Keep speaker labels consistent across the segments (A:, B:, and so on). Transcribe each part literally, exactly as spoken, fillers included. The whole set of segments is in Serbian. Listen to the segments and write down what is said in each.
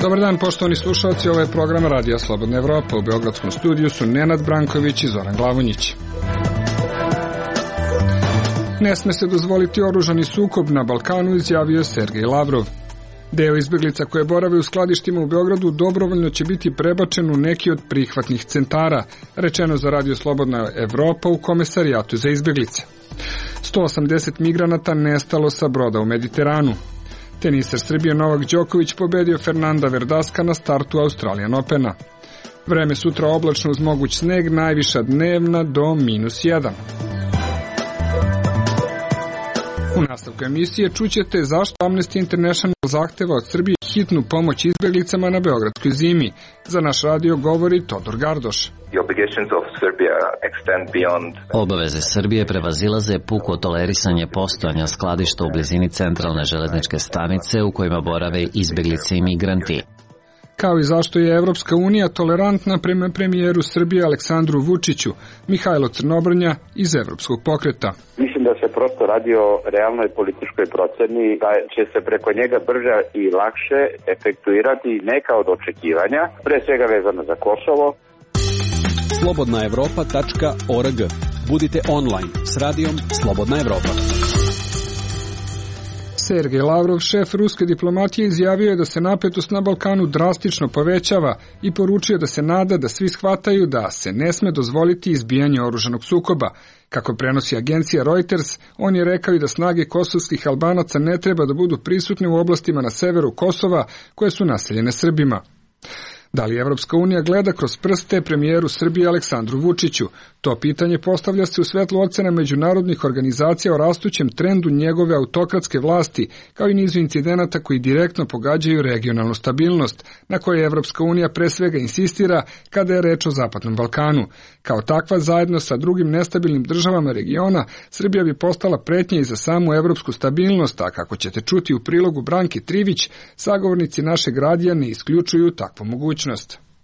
A: Dobar dan, poštovani slušalci, ovo je program Radija Slobodna Evropa. U beogradskom studiju su Nenad Branković i Zoran Glavonjić. Ne sme se dozvoliti oružani sukob na Balkanu, izjavio Sergej Lavrov. Deo izbeglica koje borave u skladištima u Beogradu dobrovoljno će biti prebačen u neki od prihvatnih centara, rečeno za Radio Slobodna Evropa u Komesarijatu za izbeglice. sto osamdeset migranata nestalo sa broda u Mediteranu. Teniser Srbije Novak Đoković pobedio Fernanda Verdaska na startu Australian Opena. Vreme sutra oblačno uz moguć sneg, najviša dnevna do minus jedan. U nastavku emisije čućete zašto Amnesty International zahteva od Srbije hitnu pomoć izbeglicama na beogradskoj zimi. Za naš radio govori Todor Gardoš.
B: Obaveze Srbije prevazilaze puko tolerisanje postojanja skladišta u blizini centralne železničke stanice u kojima borave izbeglice i migranti.
A: Kao i zašto je Evropska unija tolerantna prema premijeru Srbije Aleksandru Vučiću, Mihajlo Crnobrnja iz Evropskog pokreta.
C: Mislim da se prosto radi o realnoj političkoj proceni, da će se preko njega brže i lakše efektuirati neka od očekivanja, pre svega vezano za Kosovo.
D: slobodna evropa tačka org. Budite online s radijom Slobodna Evropa.
A: Sergej Lavrov, šef ruske diplomatije, izjavio je da se napetost na Balkanu drastično povećava i poručio da se nada da svi shvataju da se ne sme dozvoliti izbijanje oružanog sukoba. Kako prenosi agencija Reuters, on je rekao i da snage kosovskih Albanaca ne treba da budu prisutne u oblastima na severu Kosova koje su naseljene Srbima. Da li Evropska unija gleda kroz prste premijeru Srbije Aleksandru Vučiću? To pitanje postavlja se u svetlu ocena međunarodnih organizacija o rastućem trendu njegove autokratske vlasti, kao i nizu incidenata koji direktno pogađaju regionalnu stabilnost, na kojoj Evropska unija pre svega insistira kada je reč o Zapadnom Balkanu. Kao takva, zajedno sa drugim nestabilnim državama regiona, Srbija bi postala pretnja i za samu evropsku stabilnost, a kako ćete čuti u prilogu Branke Trivić, sagovornici našeg radija ne isključuju takvu mogućnost.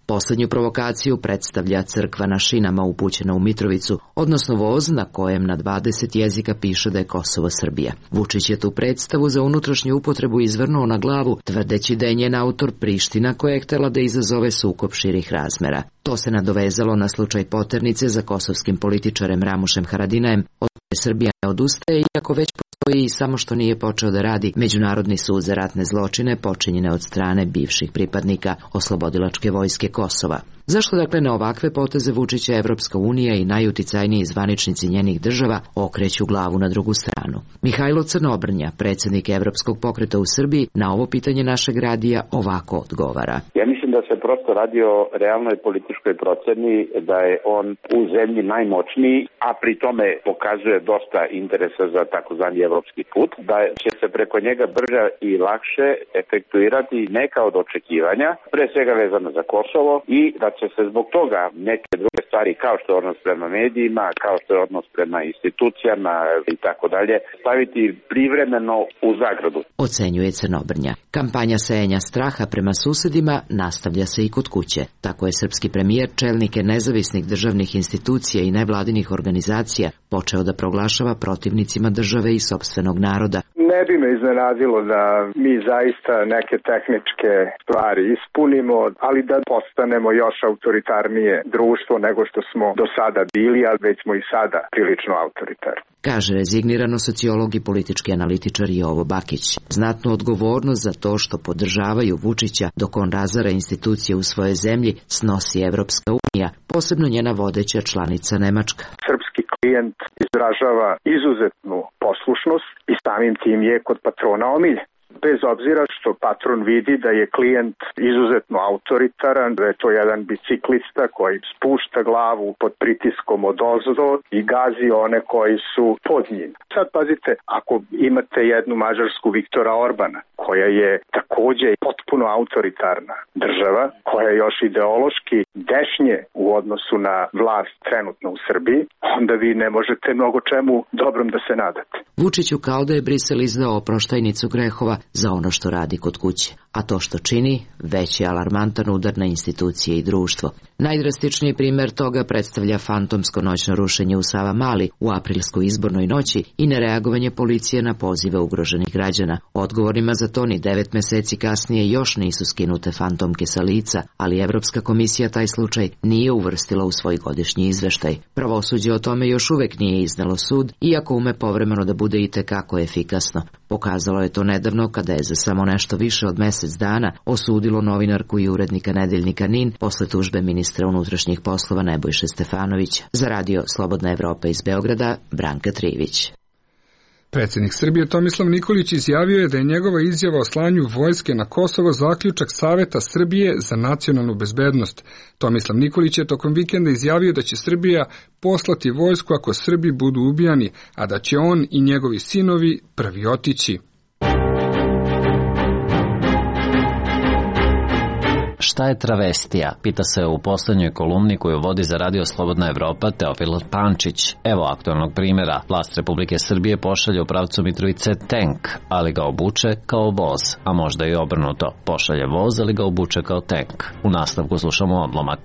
E: Poslednju provokaciju predstavlja crkva na šinama upućena u Mitrovicu, odnosno voz na kojem na dvadeset jezika piše da je Kosovo Srbija. Vučić je tu predstavu za unutrašnju upotrebu izvrnuo na glavu, tvrdeći da je njen autor Priština koja je htela da izazove sukob širih razmera. To se nadovezalo na slučaj poternice za kosovskim političarem Ramušem Haradinajem, od koje Srbija ne odustaje, iako već postoji i samo što nije počeo da radi Međunarodni sud za ratne zločine počinjene od strane bivših pripadnika Oslobodilačke vojske Kosova. Zašto dakle na ovakve poteze Vučića Evropska unija i najuticajniji zvaničnici njenih država okreću glavu na drugu stranu? Mihajlo Crnobrnja, predsjednik Evropskog pokreta u Srbiji, na ovo pitanje našeg radija ovako odgovara.
C: Ja mislim da se prosto radi o realnoj političkoj proceni, da je on u zemlji najmoćniji, a pri tome pokazuje dosta interesa za takozvani evropski put, da će se preko njega brže i lakše efektuirati neka od očekivanja, pre svega vezano za Kosovo, i da će se zbog toga neke druge stvari, kao što je odnos prema medijima, kao što je odnos prema institucijama i tako dalje, staviti privremeno u zagradu.
E: Ocenjuje Crnobrnja. Kampanja sejanja straha prema susedima nastavlja se i kod kuće. Tako je srpski premijer čelnike nezavisnih državnih institucija i nevladinih organizacija počeo da proglašava protivnicima države i sopstvenog naroda.
F: Ne bi me iznenadilo da mi zaista neke tehničke stvari ispunimo, ali da postanemo još autoritarnije društvo nego što smo do sada bili, ali već smo i sada prilično autoritarni.
E: Kaže rezignirano sociolog i politički analitičar Jovo Bakić. Znatnu odgovornost za to što podržavaju Vučića dok on razara institucije u svojoj zemlji snosi Evropska unija, posebno njena vodeća članica Nemačka.
F: Srpski klijent izražava izuzetnu poslušnost i samim tim je kod patrona omiljen. Bez obzira što patron vidi da je klijent izuzetno autoritaran, da je to jedan biciklista koji spušta glavu pod pritiskom odozdo i gazi one koji su pod njim. Sad pazite, ako imate jednu Mađarsku Viktora Orbana, koja je takođe potpuno autoritarna država, koja je još ideološki dešnje u odnosu na vlast trenutno u Srbiji, onda vi ne možete mnogo čemu dobrom da se nadate.
E: Vučiću kao da je Brisel izdao oproštajnicu grehova za ono što radi kod kuće, a to što čini već je alarmantan udar na institucije i društvo. Najdrastičniji primer toga predstavlja fantomsko noćno rušenje u Savamali u aprilskoj izbornoj noći i nereagovanje policije na pozive ugroženih građana. Odgovorima za to ni devet meseci kasnije još nisu skinute fantomke sa lica, ali Evropska komisija taj slučaj nije uvrstila u svoj godišnji izveštaj. Pravosuđe o tome još uvek nije iznalo sud, iako ume povremeno da bude itekako efikasno. Pokazalo je to nedavno kada je za samo nešto više od mesec dana osudilo novinarku i urednika nedeljnika NIN posle tužbe ministra unutrašnjih poslova Nebojše Stefanovića. Za radio Slobodna Evropa iz Beograda, Branka Trivić.
A: Predsjednik Srbije Tomislav Nikolić izjavio je da je njegova izjava o slanju vojske na Kosovo zaključak Saveta Srbije za nacionalnu bezbednost. Tomislav Nikolić je tokom vikenda izjavio da će Srbija poslati vojsku ako Srbi budu ubijani, a da će on i njegovi sinovi prvi otići.
B: Šta je travestija? Pita se u poslednjoj kolumni koju vodi za radio Slobodna Evropa Teofil Pančić. Evo aktualnog primjera. Vlast Republike Srbije pošalje u pravcu Mitrovice tank, ali ga obuče kao voz, a možda i obrnuto. Pošalje voz, ali ga obuče kao tank. U nastavku slušamo odlomak.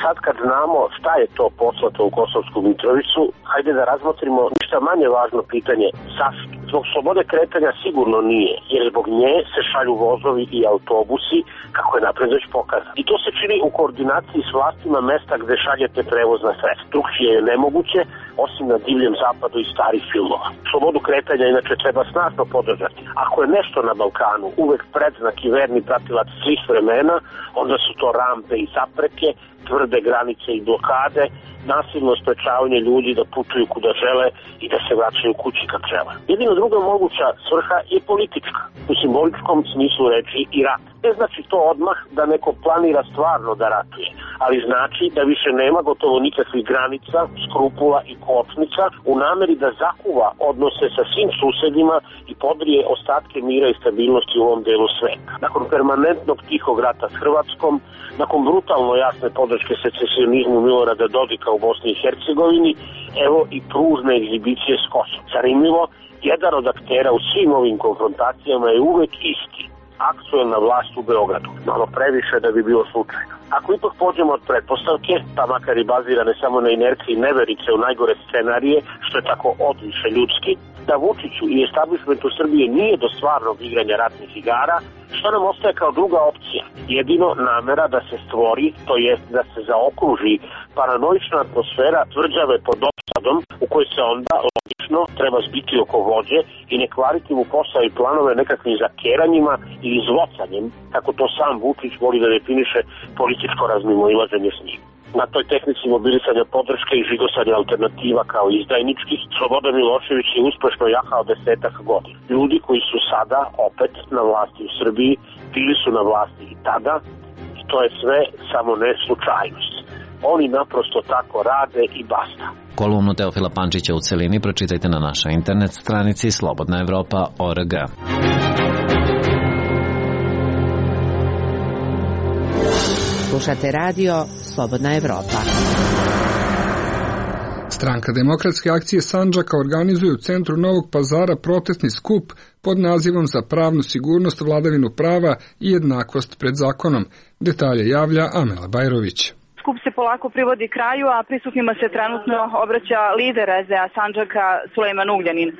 G: Sad kad znamo šta je to poslato u Kosovsku Mitrovicu, hajde da razmotrimo ništa manje važno pitanje zašto. Zbog slobode kretanja sigurno nije, jer zbog nje se šalju vozovi i autobusi, kako je napred već pokazano. I to se čini u koordinaciji s vlastima mesta gde šaljete prevozna sredstva. Drugčije je nemoguće, osim na divljem zapadu i starih filmova. Slobodu kretanja inače treba snažno podržati. Ako je nešto na Balkanu uvek predznak i verni pratilac svih vremena, onda su to rampe i zapreke, tvrde granice i blokade, nasilno sprečavanje ljudi da putuju kuda žele i da se vraćaju kući kad žele. Jedina druga moguća svrha je politička, u simboličkom smislu reči i rat. Ne znači to odmah da neko planira stvarno da ratuje, ali znači da više nema gotovo nikakvih granica, skrupula i kočnica u nameri da zakuva odnose sa svim susedima i podrije ostatke mira i stabilnosti u ovom delu sveta. Nakon permanentnog tihog rata s Hrvatskom, nakon brutalno jasne podrške secesionizmu Milorada Dodika u Bosni i Hercegovini, evo i pružne egzibicije s Kosovom. Zanimljivo, jedan od aktera u svim ovim konfrontacijama je uvek isti, aktuelna vlast u Beogradu. Malo previše da bi bilo slučajno. Ako ipak pođemo od pretpostavke, pa makar i bazirane samo na inerciji neverice u najgore scenarije, što je tako odviše ljudski, da Vučiću i establishmentu Srbije nije do stvarnog igranja ratnih igara, što nam ostaje kao druga opcija? Jedino namera da se stvori, to jest da se zaokruži paranoična atmosfera tvrđave pod opsadom, u kojoj se onda logično treba zbiti oko vođe i ne kvariti mu posao i planove nekakvim zakeranjima i izvocanjem, kako to sam Vučić voli da definiše političko razmimoilaženje s njim. Na toj tehnici mobilisanja podrške i žigosanja alternativa kao izdajničkih, Slobodan Milošević je uspešno jahao desetak godina. Ljudi koji su sada opet na vlasti u Srbiji, bili su na vlasti i tada, i to je sve samo ne slučajnost. Oni naprosto tako rade i basta.
B: Kolumnu Teofila Pančića u celini pročitajte na našoj internet stranici slobodna evropa tačka org.
H: Slušate radio Slobodna Evropa.
A: Stranka Demokratske akcije Sandžaka organizuje u centru Novog Pazara protestni skup pod nazivom Za pravnu sigurnost, vladavinu prava i jednakost pred zakonom. Detalje javlja Amela Bajrović.
I: Skup se polako privodi kraju, a prisutnima se trenutno obraća lider es de a Sandžaka Sulejman Ugljanin.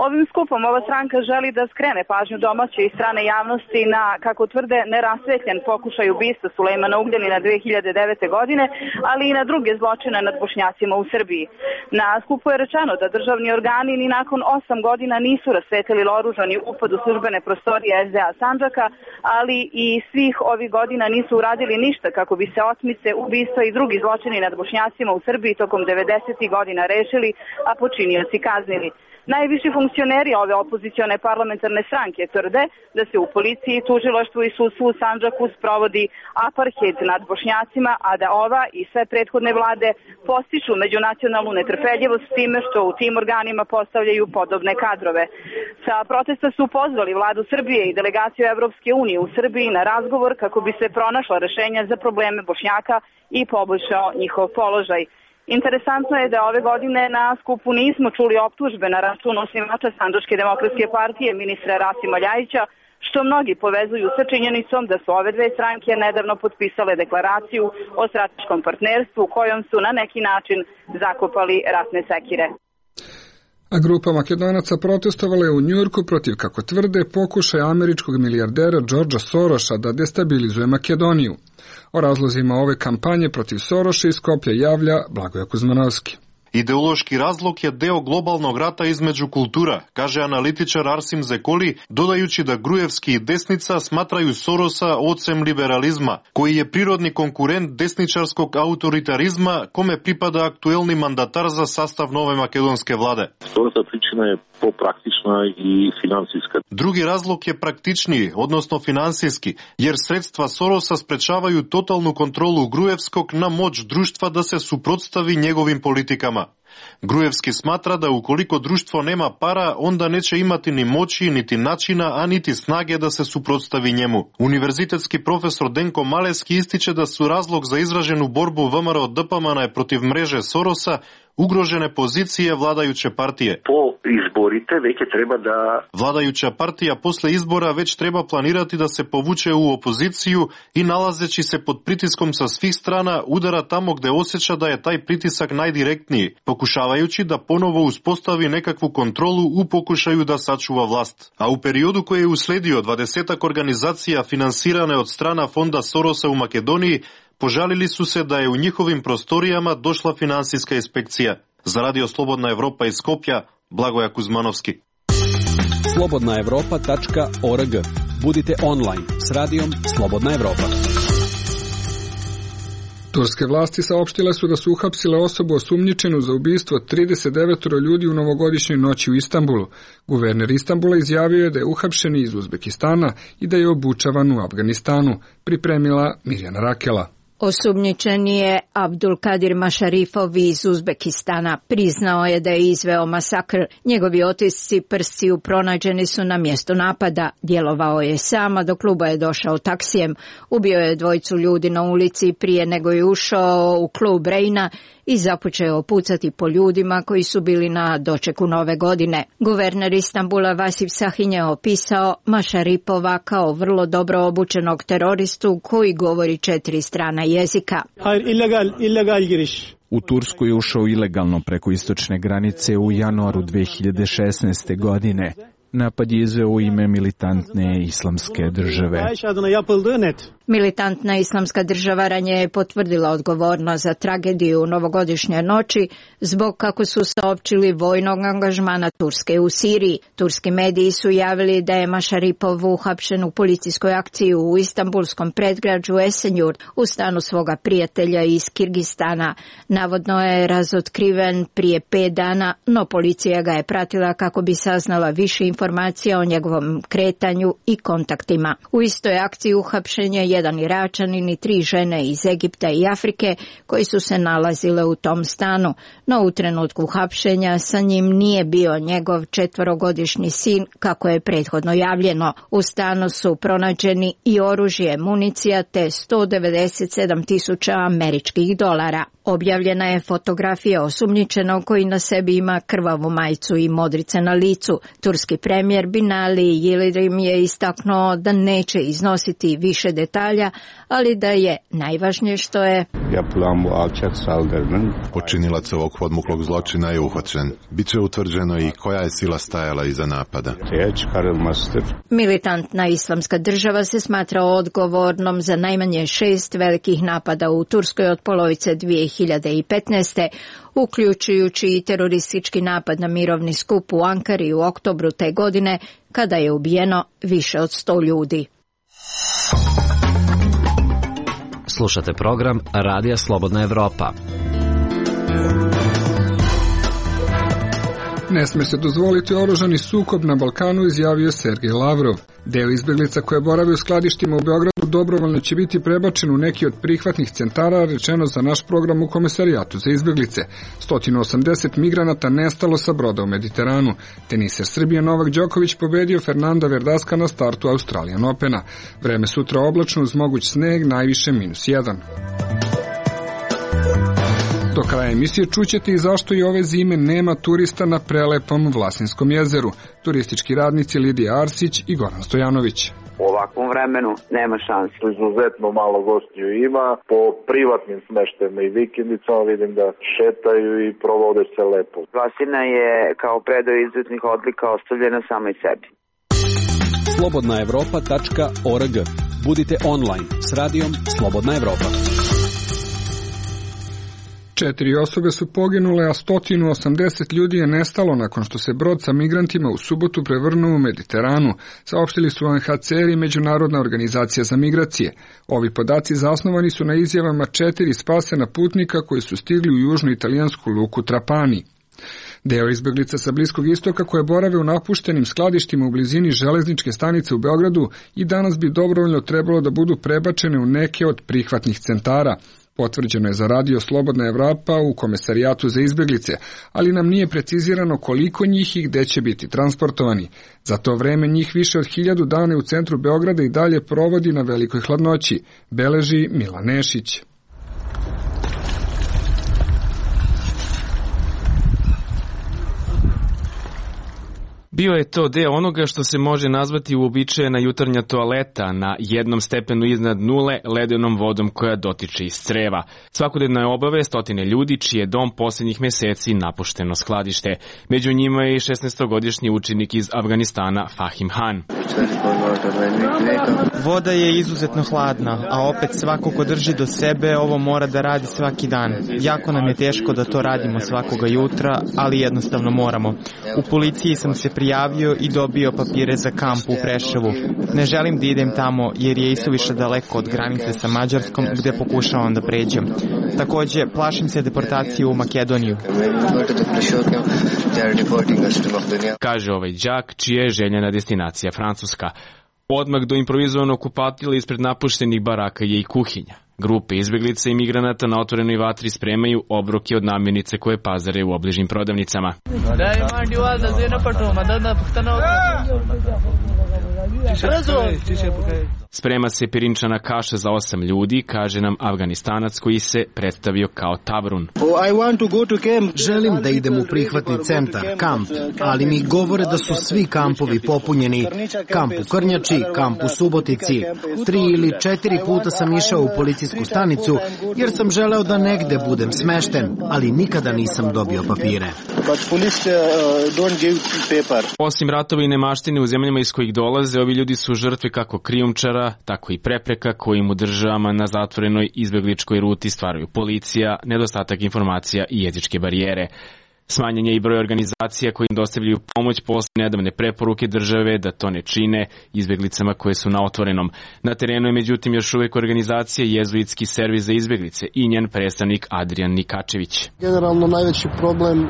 I: Ovim skupom ova stranka želi da skrene pažnju domaće i strane javnosti na, kako tvrde, nerasvetljen pokušaj ubistva Sulejmana Ugljanina dve hiljade devete. godine, ali i na druge zločine nad Bošnjacima u Srbiji. Na skupu je rečeno da državni organi ni nakon osam godina nisu rasvetlili oružani upad u službene prostorije es de a Sandžaka, ali i svih ovih godina nisu uradili ništa kako bi se otmice, ubistva i drugi zločini nad Bošnjacima u Srbiji tokom devedesetih godina rešili, a počinioci kaznili. Najviši funkcioneri ove opozicione parlamentarne stranke tvrde da se u policiji, tužilaštvu i sudstvu u Sandžaku sprovodi apartheid nad Bošnjacima, a da ova i sve prethodne vlade postiču međunacionalnu netrpeljivost s time što u tim organima postavljaju podobne kadrove. Sa protesta su pozvali vladu Srbije i delegaciju Evropske unije u Srbiji na razgovor kako bi se pronašla rešenja za probleme Bošnjaka i poboljšao njihov položaj. Interesantno je da ove godine na skupu nismo čuli optužbe na račun osnivača Sandžačke demokratske partije ministra Rasima Ljajića, što mnogi povezuju sa činjenicom da su ove dve stranke nedavno potpisale deklaraciju o strateškom partnerstvu kojom su na neki način zakopali ratne sekire.
A: A grupa Makedonaca protestovala je u Njujorku protiv, kako tvrde, pokušaja američkog milijardera Georgea Sorosa da destabilizuje Makedoniju. O razlozima ove kampanje protiv Soroša iz Skoplja javlja Blagoje Kuzmanovski.
J: Ideološki razlog je deo globalnog rata između kultura, kaže analitičar Arsim Zekoli, dodajući da Grujevski i desnica smatraju Sorosa ocem liberalizma, koji je prirodni konkurent desničarskog autoritarizma, kome pripada aktuelni mandatar za sastav nove makedonske vlade.
K: Sorosa pričina je popraktična i finansijska.
J: Drugi razlog je praktičniji, odnosno finansijski, jer sredstva Sorosa sprečavaju totalnu kontrolu Grujevskog na moć društva da se suprotstavi njegovim politikama. Grujevski smatra da ukoliko društvo nema para, onda neće imati ni moći, niti načina, a niti snage da se suprotstavi njemu. Univerzitetski profesor Denko Maleski ističe da su razlog za izraženu borbu V M R O D P M N protiv mreže Sorosa ugrožene pozicije vladajuće partije.
K: Po izborite već treba da...
J: Vladajuća partija posle izbora već treba planirati da se povuče u opoziciju i nalazeći se pod pritiskom sa svih strana udara tamo gde osjeća da je taj pritisak najdirektniji, pokušavajući da ponovo uspostavi nekakvu kontrolu u pokušaju da sačuva vlast. A u periodu koji je usledio dvadesetak organizacija finansirane od strana fonda Sorosa u Makedoniji požalili su se da je u njihovim prostorijama došla finansijska inspekcija. Za Radio Slobodna Evropa iz Skoplja, Blagoje Kuzmanovski.
D: slobodna evropa tačka org. Budite online s radijom Slobodna Evropa.
A: Turske vlasti saopštile su da su uhapsile osobu osumnjičenu za ubistvo trideset devet ljudi u novogodišnjoj noći u Istanbulu. Guverner Istanbula izjavio je da je uhapšen iz Uzbekistana i da je obučavan u Afganistanu, pripremila Mirjana Rakela.
L: Osumnjičeni je Abdulkadir Mašarifov iz Uzbekistana. Priznao je da je izveo masakr. Njegovi otisci prstiju pronađeni su na mjestu napada. Djelovao je sama, do kluba je došao taksijem. Ubio je dvojicu ljudi na ulici prije nego je ušao u klub Reina i započeo pucati po ljudima koji su bili na dočeku nove godine. Guverner Istanbula Vasif Sahin je opisao Mašaripova kao vrlo dobro obučenog teroristu koji govori četiri strana jezika.
M: U Tursku je ušao ilegalno preko istočne granice u januaru dve hiljade šesnaeste. godine. Napad je izveo u ime militantne islamske države.
L: Militantna islamska država ranije je potvrdila odgovornost za tragediju u novogodišnje noći zbog, kako su saopćili, vojnog angažmana Turske u Siriji. Turski mediji su javili da je Mašaripov uhapšen u policijskoj akciji u istanbulskom predgrađu Esenjur u stanu svoga prijatelja iz Kirgistana. Navodno je razotkriven prije pet dana, no policija ga je pratila kako bi saznala više informacija o njegovom kretanju i kontaktima. U istoj akciji uhapšen je jedan Iračanin i tri žene iz Egipta i Afrike koji su se nalazile u tom stanu, no u trenutku hapšenja sa njim nije bio njegov četvorogodišnji sin, kako je prethodno javljeno. U stanu su pronađeni i oružje, municija te sto devedeset sedam tisuća američkih dolara. Objavljena je fotografija osumnjičenog koji na sebi ima krvavu majicu i modrice na licu. Turski premijer Binali Yildirim je istaknuo da neće iznositi više detalja, ali da je najvažnije što je
N: počinilac ovog podmuklog zločina je uhvaćen. Biće utvrđeno i koja je sila stajala iza napada.
L: Militantna islamska država se smatra odgovornom za najmanje šest velikih napada u Turskoj od polovice dvije hiljade petnaeste. uključujući i teroristički napad na mirovni skup u Ankari u oktobru te godine, kada je ubijeno više od sto ljudi.
B: Slušate program Radija Slobodna Evropa.
A: Ne sme se dozvoliti oružani sukob na Balkanu, izjavio Sergej Lavrov. Deo izbeglica koje borave u skladištima u Beogradu dobrovoljno će biti prebačen u neki od prihvatnih centara, rečeno za naš program u Komesarijatu za izbeglice. sto osamdeset migranata nestalo sa broda u Mediteranu. Teniser Srbije Novak Đoković pobedio Fernanda Verdaska na startu Australian Opena. Vreme sutra oblačno uz moguć sneg, najviše minus jedan. Do kraja emisije čućete i zašto i ove zime nema turista na prelepom Vlasinskom jezeru. Turistički radnici Lidija Arsić i Goran Stojanović.
O: U ovakvom vremenu nema šanse. Izuzetno malo gostiju ima. Po privatnim smeštajima i vikendicama vidim da šetaju i provode se lepo.
I: Vlasina je kao predao izuzetnih odlika ostavljena samoj sebi.
D: slobodna evropa tačka org. Budite online s radijom Slobodna Evropa.
A: Četiri osobe su poginule, a sto osamdeset ljudi je nestalo nakon što se brod sa migrantima u subotu prevrnuo u Mediteranu, saopštili su U N H C R i Međunarodna organizacija za migracije. Ovi podaci zasnovani su na izjavama četiri spasena putnika koji su stigli u južnu italijansku luku Trapani. Deo izbeglica sa Bliskog istoka koje borave u napuštenim skladištima u blizini železničke stanice u Beogradu i danas bi dobrovoljno trebalo da budu prebačene u neke od prihvatnih centara. Potvrđeno je za radio Slobodna Evropa u Komesarijatu za izbeglice, ali nam nije precizirano koliko njih i gde će biti transportovani. Za to vreme njih više od hiljadu dana u centru Beograda i dalje provodi na velikoj hladnoći, beleži Milan Nešić.
P: Bio je to deo onoga što se može nazvati uobičajena jutarnja toaleta na jednom stepenu iznad nule ledenom vodom koja dotiče iz creva. Svakodnevno je obave stotine ljudi čiji je dom posljednjih meseci napušteno skladište. Među njima je i šesnaestogodišnji učenik iz Afganistana Fahim Han.
Q: Voda je izuzetno hladna, a opet svako ko drži do sebe ovo mora da radi svaki dan. Jako nam je teško da to radimo svakoga jutra, ali jednostavno moramo. U policiji sam se prijavio i dobio papire za kamp u Preševu. Ne želim da idem tamo jer je isuviše daleko od granice sa Mađarskom gde pokušavam da pređem. Takođe, plašim se deportacije u Makedoniju.
P: Kaže ovaj đak čija je željena destinacija Francuska. Odmah do improvizovanog kupatila ispred napuštenih baraka je i kuhinja. Grupe izbeglica i migranata na otvorenoj vatri spremaju obroke od namirnice koje pazare u obližnim prodavnicama. Sprema se pirinčana kaša za osam ljudi, kaže nam Afganistanac koji se predstavio kao Tavrun.
R: Želim da idem u prihvatni centar, kamp, ali mi govore da su svi kampovi popunjeni. Kamp u Krnjači, kamp u Subotici. Tri ili četiri puta sam išao u policijsku stanicu jer sam želeo da negde budem smešten, ali nikada nisam dobio papire.
P: Osim ratova i nemaštine u zemljama iz kojih dolaze, ovi ljudi su žrtve kako krijumčara, tako i prepreka kojim u državama na zatvorenoj izbegličkoj ruti stvaraju policija, nedostatak informacija i jezičke barijere. Smanjen je i broj organizacija koji im dostavljaju pomoć posle nedavne preporuke države da to ne čine izbeglicama koje su na otvorenom. Na terenu je međutim još uvek organizacija Jezuitski servis za izbeglice i njen predstavnik Adrian Nikačević.
S: Generalno najveći problem uh,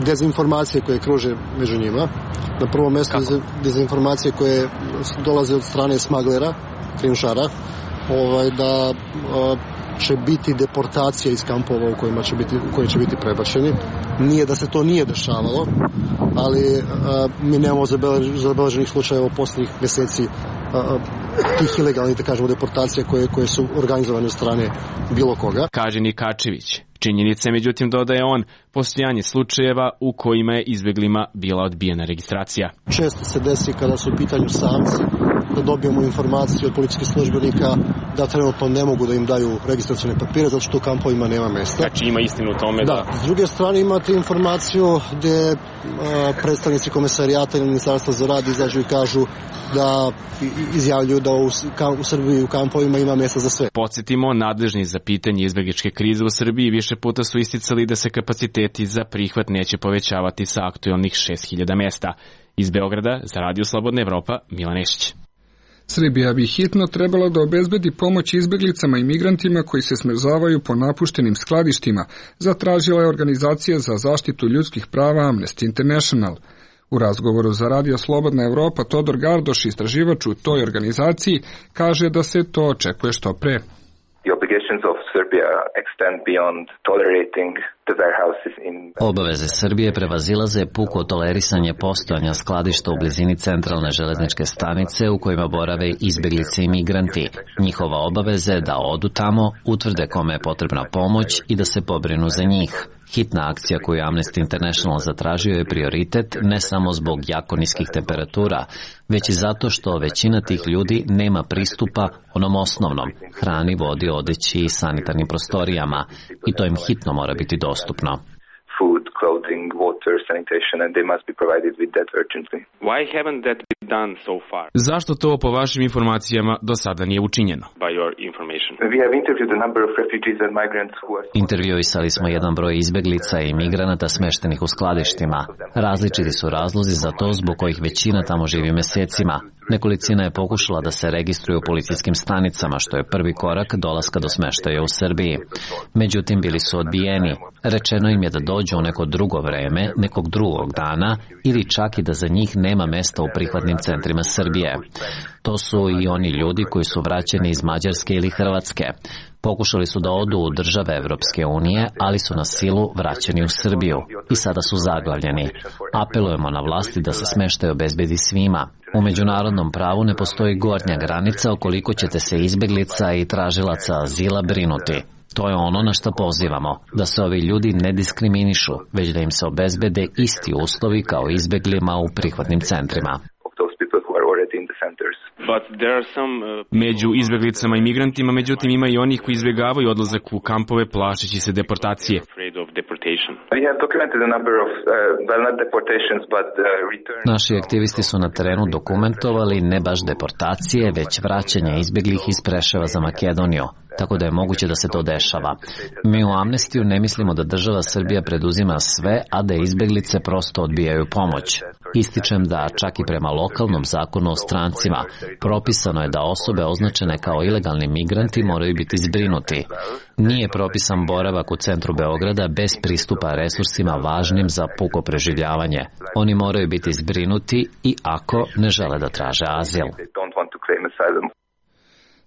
S: dezinformacije koje kruže među njima. Na prvo mesto dezinformacije koje dolaze od strane smaglera, krijumčara, ovaj, da uh, će biti deportacija iz kampova u kojima će biti, u koje će biti prebačeni. Nije da se to nije dešavalo, ali a, mi nemamo zabeleženih slučajeva posljednjih meseci a, tih ilegalnih, da kažemo, deportacija koje, koje su organizovane od strane bilo koga.
P: Kaže Nikačević. Činjenica je, međutim, dodaje on, postojanje slučajeva u kojima je izbeglima bila odbijena registracija.
S: Često se desi kada su u pitanju samci da dobijemo informaciju od policijskih službenika da trenutno ne mogu da im daju registracione papire zato što u kampovima nema mesta.
P: Znači ima istinu u tome da...
S: Da, s druge strane imate informaciju gde a, predstavnici Komesarijata ili Ministarstva za rad izađu i kažu da izjavljuju da u, ka, u Srbiji u kampovima ima mesta za sve.
P: Podsjetimo, nadležni za pitanje izbegličke krize u Srbiji više puta su isticali da se kapaciteti za prihvat neće povećavati sa aktuelnih šest hiljada mesta. Iz Beograda za Radio Slobodna Evropa, Milan Nešić.
A: Srbija bi hitno trebala da obezbedi pomoć izbeglicama i migrantima koji se smrzavaju po napuštenim skladištima, zatražila je organizacija za zaštitu ljudskih prava Amnesty International. U razgovoru za Radio Slobodna Evropa Todor Gardoš, istraživač u toj organizaciji, kaže da se to očekuje što pre.
B: Obaveze Srbije prevazilaze puko tolerisanje postojanja skladišta u blizini centralne železničke stanice u kojima borave izbeglice i migranti. Njihova obaveza je da odu tamo, utvrde kome je potrebna pomoć i da se pobrinu za njih. Hitna akcija koju Amnesty International zatražio je prioritet ne samo zbog jako niskih temperatura, već i zato što većina tih ljudi nema pristupa onom osnovnom, hrani, vodi, odeći i sanitarnim prostorijama, i to im hitno mora biti dostupno.
T: Food, clothing, water, sanitation, and they must be provided with that urgently. Why haven't that been done so far?
P: Zašto to po vašim informacijama do sada nije učinjeno?
T: By your information. We have interviewed a number of refugees and migrants who are...
B: Intervjuisali smo jedan broj izbeglica i migranata smeštenih u skladištima. Različiti su razlozi za to zbog kojih većina tamo živi mesecima. Nekolicina je pokušala da se registruju u policijskim stanicama, što je prvi korak dolaska do smeštaja u Srbiji. Međutim, bili su odbijeni. Rečeno im je da dođu u neko drugo vreme, nekog drugog dana, ili čak i da za njih nema mesta u prihvatnim centrima Srbije. To su i oni ljudi koji su vraćeni iz Mađarske ili Hrvatske. Pokušali su da odu u države Evropske unije, ali su na silu vraćeni u Srbiju i sada su zaglavljeni. Apelujemo na vlasti da se smeštaj obezbedi svima. U međunarodnom pravu ne postoji gornja granica o koliko ćete se izbeglica i tražilaca azila brinuti. To je ono na što pozivamo, da se ovi ljudi ne diskriminišu, već da im se obezbede isti uslovi kao izbeglima u prihvatnim centrima.
P: Među izbeglicama i migrantima, međutim, ima i onih koji izbjegavaju odlazak u kampove plašeći se deportacije.
B: Naši aktivisti su na terenu dokumentovali ne baš deportacije, već vraćanje izbeglih iz Preševa za Makedoniju, tako da je moguće da se to dešava. Mi u Amnestiju ne mislimo da država Srbija preduzima sve, a da izbeglice prosto odbijaju pomoć. Ističem da čak i prema lokalnom zakonu o strancima propisano je da osobe označene kao ilegalni migranti moraju biti zbrinuti. Nije propisan boravak u centru Beograda bez pristupa resursima važnim za puko preživljavanje. Oni moraju biti zbrinuti i ako ne žele da traže azil.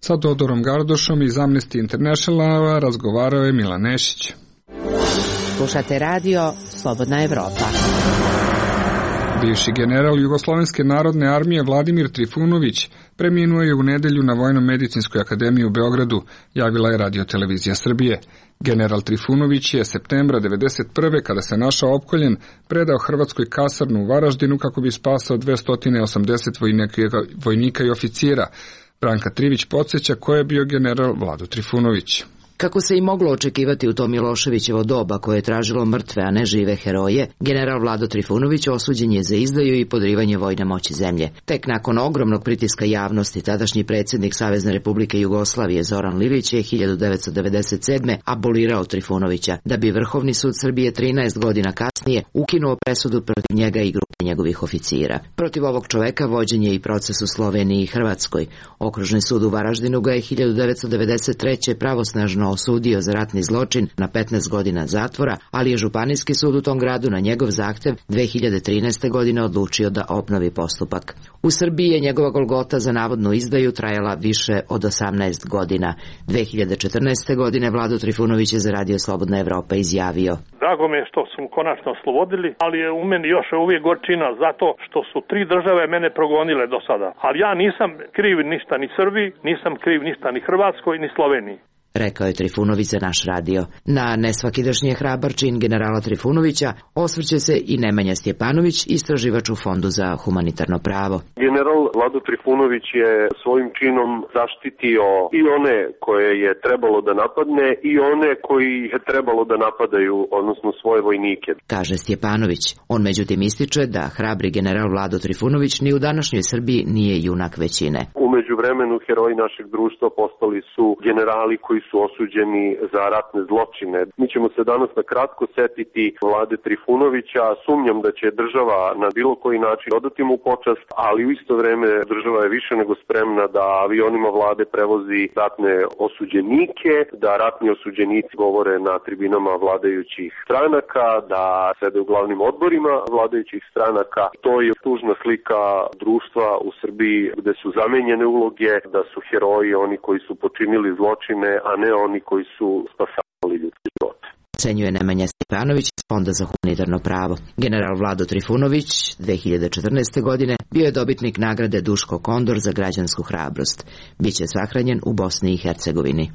A: Sa Todorom Gardošom iz Amnesty Internationala razgovarao je Milan Nešić.
H: Slušate radio Slobodna Evropa.
A: Bivši general Jugoslovenske narodne armije Vladimir Trifunović preminuo je u nedelju na Vojno-medicinskoj akademiji u Beogradu, javila je Radio-televizija Srbije. General Trifunović je septembra devedeset prve kada se našao opkoljen, predao Hrvatskoj kasarnu u Varaždinu kako bi spasao dvesta osamdeset vojnika i oficira. Branka Trivić podsjeća ko je bio general Vlado Trifunović.
E: Kako se i moglo očekivati u to Miloševićevo doba koje je tražilo mrtve, a ne žive heroje, general Vlado Trifunović osuđen je za izdaju i podrivanje vojne moći zemlje. Tek nakon ogromnog pritiska javnosti, tadašnji predsjednik Savezne Republike Jugoslavije Zoran Lilić je hiljadu devetsto devedeset sedme abolirao Trifunovića, da bi Vrhovni sud Srbije trinaest godina kasnije ukinuo presudu protiv njega i grupe njegovih oficira. Protiv ovog čoveka vođen je i proces u Sloveniji i Hrvatskoj. Okružni sud u Varaždinu ga je hiljadu devetsto devedeset treće pravosnažno osudio za ratni zločin na petnaest godina zatvora, ali je Županijski sud u tom gradu na njegov zahtev dve hiljade trinaeste. godine odlučio da obnovi postupak. U Srbiji je njegova golgota za navodnu izdaju trajala više od osamnaest godina. dve hiljade četrnaeste. godine Vlado Trifunović je za Radio Slobodna Evropa izjavio:
U: Drago mi je što su mu konačno oslobodili, ali je u meni još uvijek gorčina zato što su tri države mene progonile do sada. Ali ja nisam kriv ništa ni Srbiji, nisam kriv ništa ni Hrvatskoj ni Sloveniji.
E: Rekao je Trifunović za naš radio. Na nesvakidašnji hrabar čin generala Trifunovića osvrće se i Nemanja Stjepanović, istraživač u Fondu za humanitarno pravo.
O: General Vlado Trifunović je svojim činom zaštitio i one koje je trebalo da napadne i one koji je trebalo da napadaju, odnosno svoje vojnike,
E: kaže Stjepanović. On međutim ističe da hrabri general Vlado Trifunović ni u današnjoj Srbiji nije junak većine.
O: U međuvremenu heroji našeg društva postali su generali koji su osuđeni za ratne zločine. Mi ćemo se danas na kratko setiti Vlade Trifunovića. Sumnjam da će država na bilo koji način odati mu počast, ali u isto vreme vreme država je više nego spremna da avionima vlade prevozi ratne osuđenike, da ratni osuđenici govore na tribinama vladajućih stranaka, da sede u glavnim odborima vladajućih stranaka. To je tužna slika društva u Srbiji gde su zamenjene uloge, da su heroji oni koji su počinili zločine, a ne oni koji su spasavali ljudske živote.
E: Ocenjuje Nemanja Stepanović iz Fonda za humanitarno pravo. General Vlado Trifunović dve hiljade četrnaeste. godine bio je dobitnik nagrade Duško Kondor za građansku hrabrost. Biće sahranjen u Bosni i Hercegovini.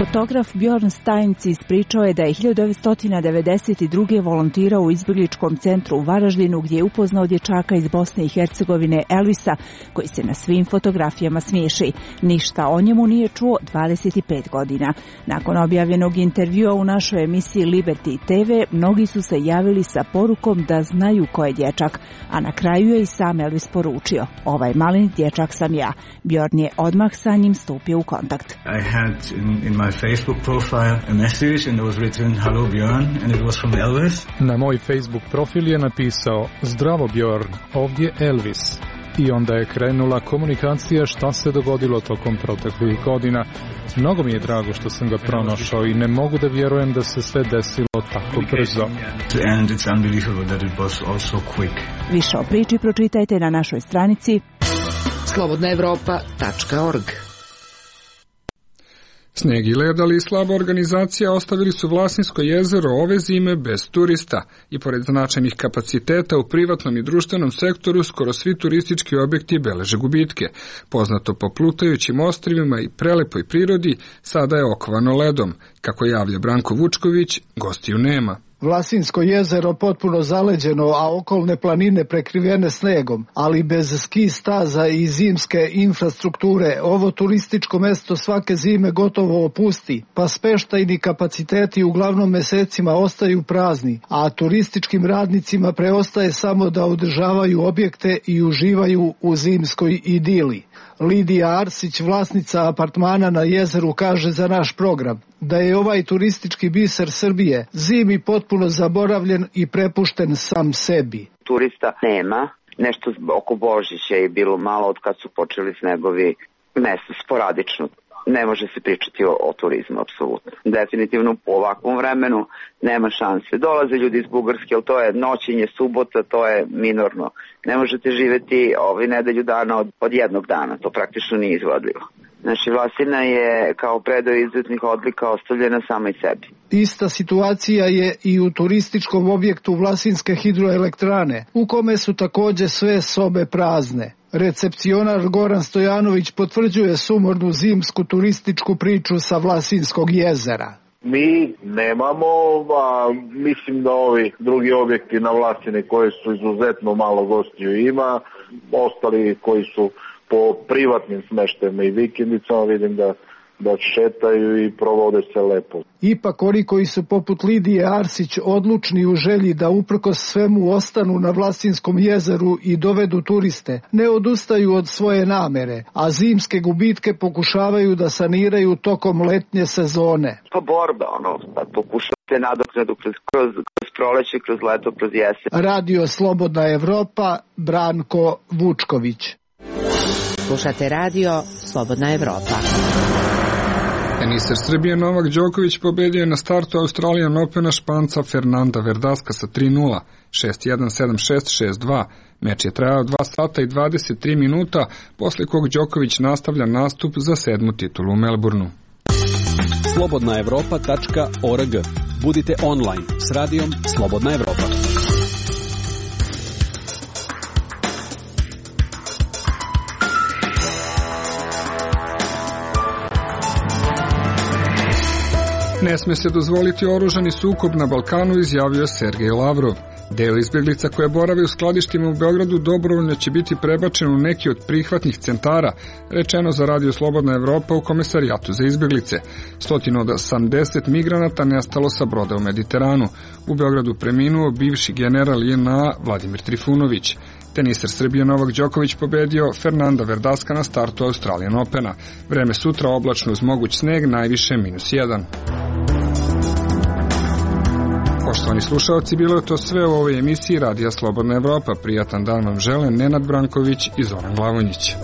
C: Fotograf Bjorn Steinc ispričao je da je hiljadu devetsto devedeset druge. volontirao u izbjegličkom centru u Varaždinu gdje je upoznao dječaka iz Bosne i Hercegovine Elvisa koji se na svim fotografijama smiješi. Ništa o njemu nije čuo dvadeset pet godina. Nakon objavljenog intervjua u našoj emisiji Liberty te ve, mnogi su se javili sa porukom da znaju ko je dječak, a na kraju je i sam Elvis poručio: ovaj malin dječak sam ja. Bjorn je odmah sa njim stupio u kontakt.
V: I had in, in my Facebook profile a message and it was written hello Bjorn and it was from Elvis.
W: Na moj Facebook profil je napisao: zdravo Bjorn, ovdje Elvis. I onda je krenula komunikacija šta se dogodilo tokom proteklih godina. Mnogo mi je drago što sam ga pronašao i ne mogu da vjerujem da se sve desilo tako brzo.
V: And it's unbelievable that it was also quick.
C: Više o priči pročitajte na našoj stranici
E: slobodna evropa tačka org.
A: Sneg i led, ali i slaba organizacija ostavili su Vlasinsko jezero ove zime bez turista i pored značajnih kapaciteta u privatnom i društvenom sektoru skoro svi turistički objekti beleže gubitke. Poznato po plutajućim ostrvima i prelepoj prirodi sada je okovano ledom. Kako javlja Branko Vučković, gostiju nema.
X: Vlasinsko jezero potpuno zaleđeno, a okolne planine prekrivene snegom, ali bez ski staza i zimske infrastrukture, ovo turističko mesto svake zime gotovo opusti, pa smeštajni kapaciteti uglavnom mesecima ostaju prazni, a turističkim radnicima preostaje samo da održavaju objekte i uživaju u zimskoj idili. Lidija Arsić, vlasnica apartmana na jezeru, kaže za naš program da je ovaj turistički biser Srbije zimi potpuno zaboravljen i prepušten sam sebi.
Y: Turista nema, nešto oko Božića je bilo malo od kad su počeli snegovi, mesto sporadično. Ne može se pričati o, o turizmu, apsolutno. Definitivno po ovakvom vremenu nema šanse. Dolaze ljudi iz Bugarske, ali to je noćenje, subota, to je minorno. Ne možete živeti ovaj nedelju dana od, od jednog dana, to praktično nije izvodljivo. Znači, Vlasina je kao predao izuzetnih odlika ostavljena sama i sebi.
X: Ista situacija je i u turističkom objektu Vlasinske hidroelektrane, u kome su takođe sve sobe prazne. Recepcionar Goran Stojanović potvrđuje sumornu zimsku turističku priču sa Vlasinskog jezera.
Z: Mi nemamo, a mislim da ovi drugi objekti na Vlasine koji su izuzetno malo gostiju ima, ostali koji su po privatnim smeštajima i vikendicama, vidim da da šetaju i provode se lepo.
X: Ipak oni koji su poput Lidije Arsić odlučni u želji da uprkos svemu ostanu na Vlasinskom jezeru i dovedu turiste, ne odustaju od svoje namere, a zimske gubitke pokušavaju da saniraju tokom letnje sezone.
Y: Pa borba, ono, pokušavate nadoknadu kroz, kroz, kroz proleće, kroz leto, kroz jesen.
X: Radio Slobodna Evropa, Branko Vučković.
H: Slušate radio Slobodna Evropa.
A: Teniser Srbije Novak Đoković pobedio je na startu Australian Opena Španca Fernanda Verdaska sa tri nula, šest jedan, sedam šest, šest dva. Meč je trajao dva sata i dvadeset tri minuta, posle kog Đoković nastavlja nastup za sedmu titulu u Melbourneu.
D: slobodna evropa tačka org. Budite online s radijom Slobodna Evropa.
A: Ne sme se dozvoliti oružani sukob na Balkanu, izjavio Sergej Lavrov. Deo izbjeglica koje borave u skladištima u Beogradu dobrovoljno će biti prebačen u neki od prihvatnih centara, rečeno za Radio Slobodna Evropa u Komesarijatu za izbjeglice. Stotinu od osamdeset migranata nestalo sa broda u Mediteranu. U Beogradu preminuo bivši general J N A Vladimir Trifunović. Teniser Srbije Novak Đoković pobedio Fernanda Verdaska na startu Australian Opena. Vreme sutra oblačno uz moguć sneg, najviše minus jedan. Poštovani slušalci, bilo je to sve u ovoj emisiji Radija Slobodna Evropa. Prijatan dan vam žele Nenad Branković i Zoran Glavonjić.